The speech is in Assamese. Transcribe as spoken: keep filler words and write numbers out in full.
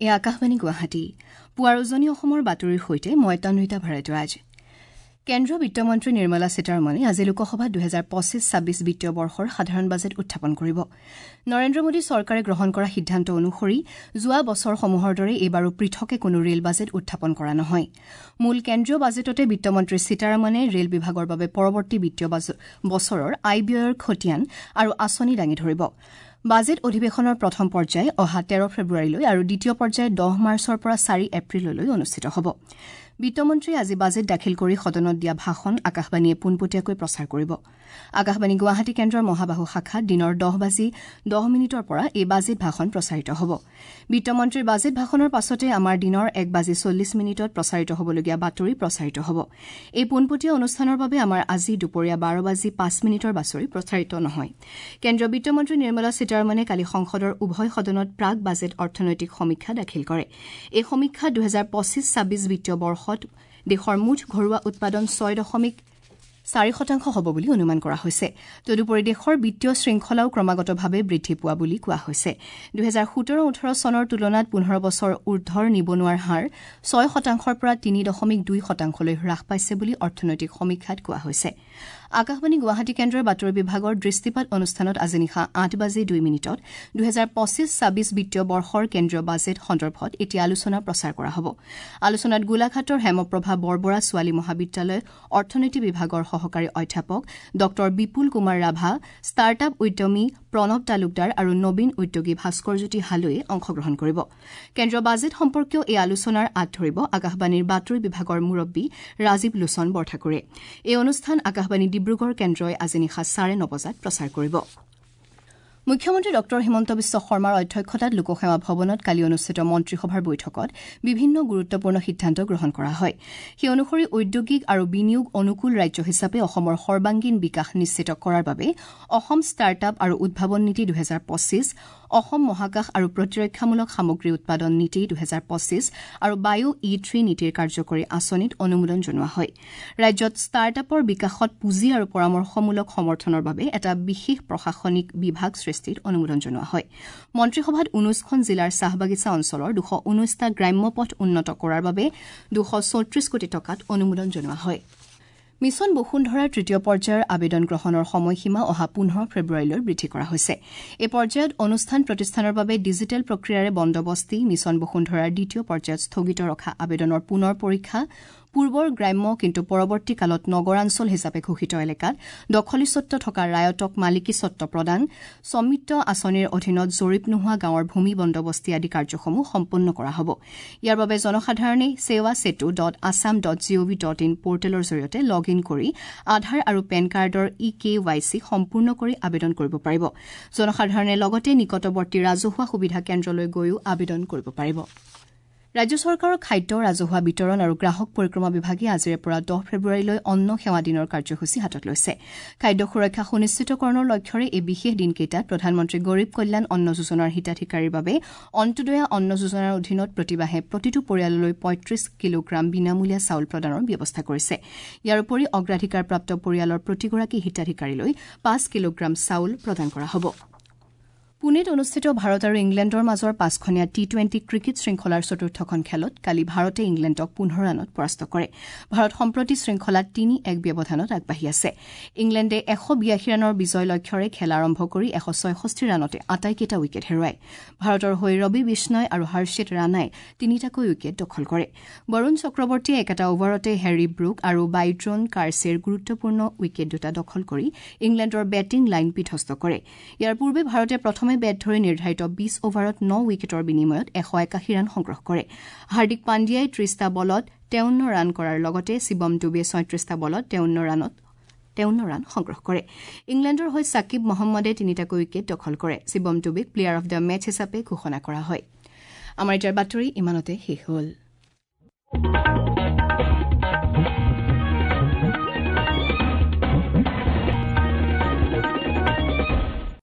এয়া আকাশবাণী গুৱাহাটী পুৱাৰ উজনি অসমৰ বাতৰিৰ সৈতে মই তন্বিতা ভৰদ্বাজ। কেন্দ্ৰীয় বিত্তমন্ত্ৰী নিৰ্মলা সীতাৰমণে আজি লোকসভাত দুহেজাৰ পঁচিছ ছাব্বিছ বিত্তীয় বৰ্ষৰ সাধাৰণ বাজেট উত্থাপন কৰিব। নৰেন্দ্ৰ মোদী চৰকাৰে গ্ৰহণ কৰা সিদ্ধান্ত অনুসৰি যোৱা বছৰসমূহৰ দৰে এইবাৰো পৃথকে কোনো ৰেল বাজেট উত্থাপন কৰা নহয়। মূল কেন্দ্ৰীয় বাজেটতে বিত্তমন্ত্ৰী সীতাৰমণে ৰেল বিভাগৰ বাবে পৰৱৰ্তী বিত্তীয় বছৰৰ আয় ব্যয়ৰ খতিয়ান আৰু আঁচনি দাঙি ধৰিব। বাজেট অধিৱেশনৰ প্ৰথম পৰ্যায় অহা তেৰ ফেব্ৰুৱাৰীলৈ আৰু দ্বিতীয় পৰ্যায় দহ মাৰ্চৰ পৰা চাৰি এপ্ৰিললৈ অনুষ্ঠিত হ'ব। বিত্তমন্ত্ৰীয়ে আজি বাজেট দাখিল কৰি সদনত দিয়া ভাষণ আকাশবাণীয়ে পোনপটীয়াকৈ প্ৰচাৰ কৰিব। আকাশবাণী গুৱাহাটী কেন্দ্ৰৰ মহাবাহু শাখাত দিনৰ দহ বাজি দহ মিনিটৰ পৰা এই বাজেট ভাষণ প্ৰচাৰিত হ'ব। বিত্তমন্ত্ৰীৰ বাজেট ভাষণৰ পাছতে আমাৰ দিনৰ এক বাজি চল্লিছ মিনিটত প্ৰচাৰিত হ'বলগীয়া বাতৰি প্ৰচাৰিত হ'ব। এই পোনপটীয়া অনুষ্ঠানৰ বাবে আমাৰ আজি দুপৰীয়া বাৰ বাজি পাঁচ মিনিটৰ বাতৰি প্ৰচাৰিত নহয়। কেন্দ্ৰীয় বিত্তমন্ত্ৰী নিৰ্মলা সীতাৰমণে কালি সংসদৰ উভয় সদনত প্ৰাক বাজেট অৰ্থনৈতিক সমীক্ষা দাখিল কৰে। এই সমীক্ষাত দুহেজাৰ পঁচিছ ছাব্বিছ বিত্তীয় বৰ্ষত দেশৰ মুঠ ঘৰুৱা উৎপাদন ছয় দশমিক চাৰি শতাংশ হ'ব বুলি অনুমান কৰা হৈছে। তদুপৰি দেশৰ বিত্তীয় শৃংখলাও ক্ৰমাগতভাৱে বৃদ্ধি পোৱা বুলি কোৱা হৈছে। দুহেজাৰ সোতৰ ওঠৰ চনৰ তুলনাত পোন্ধৰ বছৰ ঊৰ্ধৰ নিবনুৱাৰ হাৰ ছয় শতাংশৰ পৰা তিনি দশমিক দুই শতাংশলৈ হ্ৰাস পাইছে বুলি অৰ্থনৈতিক সমীক্ষাত কোৱা হৈছে। আকাশবাণী গুৱাহাটী কেন্দ্ৰৰ বাতৰি বিভাগৰ দৃষ্টিপাত অনুষ্ঠানত আজি নিশা আঠ বাজি দুই মিনিটত দুহেজাৰ পঁচিছ ছাব্বিছ বিত্তীয় বৰ্ষৰ কেন্দ্ৰীয় বাজেট সন্দৰ্ভত এটি আলোচনা প্ৰচাৰ কৰা হ'ব। আলোচনাত গোলাঘাটৰ হেমপ্ৰভা বৰবৰা ছোৱালী মহাবিদ্যালয় অৰ্থনীতি বিভাগৰ সহকাৰী অধ্যাপক ডঃ বিপুল কুমাৰ ৰাভা, ষ্টাৰ্ট আপ উদ্যমী প্ৰণৱ তালুকদাৰ আৰু নবীন উদ্যোগী ভাস্কৰজ্যোতি হালৈয়ে অংশগ্ৰহণ কৰিব। কেন্দ্ৰীয় বাজেট সম্পৰ্কীয় এই আলোচনাৰ আঁত ধৰিব আকাশবাণীৰ বাতৰি বিভাগৰ মুৰব্বী ৰাজীৱ লোচন বৰঠাকুৰে। এই অনুষ্ঠান আকাশবাণী ডিব্ৰুগড় কেন্দ্ৰই আজি নিশা চাৰে ন বজাত প্ৰচাৰ কৰিব। মুখ্যমন্ত্ৰী ডঃ হিমন্ত বিশ্ব শৰ্মাৰ অধ্যক্ষতাত লোকসেৱা ভৱনত কালি অনুষ্ঠিত মন্ত্ৰীসভাৰ বৈঠকত বিভিন্ন গুৰুত্বপূৰ্ণ সিদ্ধান্ত গ্ৰহণ কৰা হয়। সেই অনুসৰি ঔদ্যোগিক আৰু বিনিয়োগ অনুকূল ৰাজ্য হিচাপে অসমৰ সৰ্বাংগীন বিকাশ নিশ্চিত কৰাৰ বাবে অসম ষ্টাৰ্ট আপ আৰু উদ্ভাৱন নীতি দুহেজাৰ পঁচিছ, অসম মহাকাশ আৰু প্ৰতিৰক্ষামূলক সামগ্ৰী উৎপাদন নীতি দুহেজাৰ পঁচিছ আৰু বায়ু ই থ্ৰী নীতিৰ কাৰ্যকৰী আঁচনিত অনুমোদন জনোৱা হয়। ৰাজ্যত ষ্টাৰ্ট আপৰ বিকাশত পুঁজি আৰু পৰামৰ্শমূলক সমৰ্থনৰ বাবে এটা বিশেষ প্ৰশাসনিক বিভাগ সৃষ্টিত অনুমোদন জনোৱা হয়। মন্ত্ৰীসভাত ঊনৈশখন জিলাৰ চাহ বাগিচা অঞ্চলৰ দুশ ঊনৈশটা গ্ৰাম্য পথ উন্নত কৰাৰ বাবে দুশ চৌত্ৰিশ কোটি টকাত অনুমোদন জনোৱা হয়। মিছন বসুন্ধৰাৰ তৃতীয় পৰ্যায়ৰ আবেদন গ্ৰহণৰ সময়সীমা অহা পোন্ধৰ ফেব্ৰুৱাৰীলৈ বৃদ্ধি কৰা হৈছে। এই পৰ্যায়ত অনুষ্ঠান প্ৰতিষ্ঠানৰ বাবে ডিজিটেল প্ৰক্ৰিয়াৰে বন্দোবস্তি, মিছন বসুন্ধৰাৰ দ্বিতীয় পৰ্যায়ত স্থগিত ৰখা আবেদনৰ পুনৰ পৰীক্ষা, পূৰ্বৰ গ্ৰাম্য কিন্তু পৰৱৰ্তী কালত নগৰাঞ্চল হিচাপে ঘোষিত এলেকাত দখলীস্বত্ব থকা ৰায়তক মালিকীস্বত্ব প্ৰদান, স্বামিত্ব আঁচনিৰ অধীনত জৰীপ নোহোৱা গাঁৱৰ ভূমি বন্দোবস্তি আদি কাৰ্যসমূহ সম্পন্ন কৰা হ'ব। ইয়াৰ বাবে জনসাধাৰণে Sewa Setu dot Assam dot G O V dot in পৰ্টেলৰ জৰিয়তে লগ ইন কৰি আধাৰ আৰু পেন কাৰ্ডৰ ই কে ৱাই চি সম্পূৰ্ণ কৰি আবেদন কৰিব পাৰিব। জনসাধাৰণে লগতে নিকটৱৰ্তী ৰাজহুৱা সুবিধা কেন্দ্ৰলৈ গৈও আবেদন কৰিব পাৰিব। ৰাজ্য চৰকাৰৰ খাদ্য, ৰাজহুৱা বিতৰণ আৰু গ্ৰাহক পৰিক্ৰমা বিভাগে আজিৰে পৰা দহ ফেব্ৰুৱাৰীলৈ অন্ন সেৱা দিনৰ কাৰ্যসূচী হাতত লৈছে। খাদ্য সুৰক্ষা সুনিশ্চিতকৰণৰ লক্ষ্যৰে এই বিশেষ দিনকেইটাত প্ৰধানমন্ত্ৰী গৰীব কল্যাণ অন্ন যোজনাৰ হিতাধিকাৰীৰ বাবে অন্ত্যোদয়া অন্ন যোজনাৰ অধীনত প্ৰতিমাহে প্ৰতিটো পৰিয়াললৈ পঁয়ত্ৰিশ কিলোগ্ৰাম বিনামূলীয়া চাউল প্ৰদানৰ ব্যৱস্থা কৰিছে। ইয়াৰ উপৰি অগ্ৰাধিকাৰপ্ৰাপ্ত পৰিয়ালৰ প্ৰতিগৰাকী হিতাধিকাৰীলৈ পাঁচ কিলোগ্ৰাম চাউল প্ৰদান কৰা হ'ব। পুনেত অনুষ্ঠিত ভাৰত আৰু ইংলেণ্ডৰ মাজৰ পাঁচখনীয়া টি টুৱেণ্টি ক্ৰিকেট শৃংখলাৰ চতুৰ্থখন খেলত কালি ভাৰতে ইংলেণ্ডক পোন্ধৰ ৰানত পৰাস্ত কৰে। ভাৰত সম্প্ৰতি শৃংখলাত তিনি এক ব্যৱধানত আগবাঢ়ি আছে। ইংলেণ্ডে এশ বিয়াশী ৰানৰ বিজয় লক্ষ্যৰে খেল আৰম্ভ কৰি এশ ছয়ষষ্ঠি ৰানতে আটাইকেইটা উইকেট হেৰুৱায়। ভাৰতৰ হৈ ৰবি বিষ্ণয় আৰু হৰ্ষিত ৰাণাই তিনিটাকৈ উইকেট দখল কৰে। বৰুণ চক্ৰৱৰ্তীয়ে একেটা অভাৰতে হেৰী ব্ৰুক আৰু বাইড্ৰন কাৰ্ছেৰ গুৰুত্বপূৰ্ণ উইকেট দুটা দখল কৰি ইংলেণ্ডৰ বেটিং লাইন বিধ্বস্ত কৰে। ইয়াৰ পূৰ্বে ভাৰতে প্ৰথমে বেট ধৰি নিৰ্ধাৰিত বিশ অভাৰত ন উইকেটৰ বিনিময়ত এশ একাশী ৰান সংগ্ৰহ কৰে। হাৰ্দিক পাণ্ডিয়াই ত্ৰিশটা বলত তেৱন্ন ৰান কৰাৰ লগতে শিৱম ডুবে ছয়ত্ৰিশটা বলত তেৱন্ন ৰানত তেৱন্ন ৰান সংগ্ৰহ কৰে। ইংলেণ্ডৰ হৈ ছাকিব মহম্মদে তিনিটাকৈ উইকেট দখল কৰে। শিৱম ডুবেক প্লেয়াৰ অব the match হিচাপে ঘোষণা কৰা হয়। আমাৰ এতিয়াৰ বাতৰি ইমানতে শেষ হ'ল।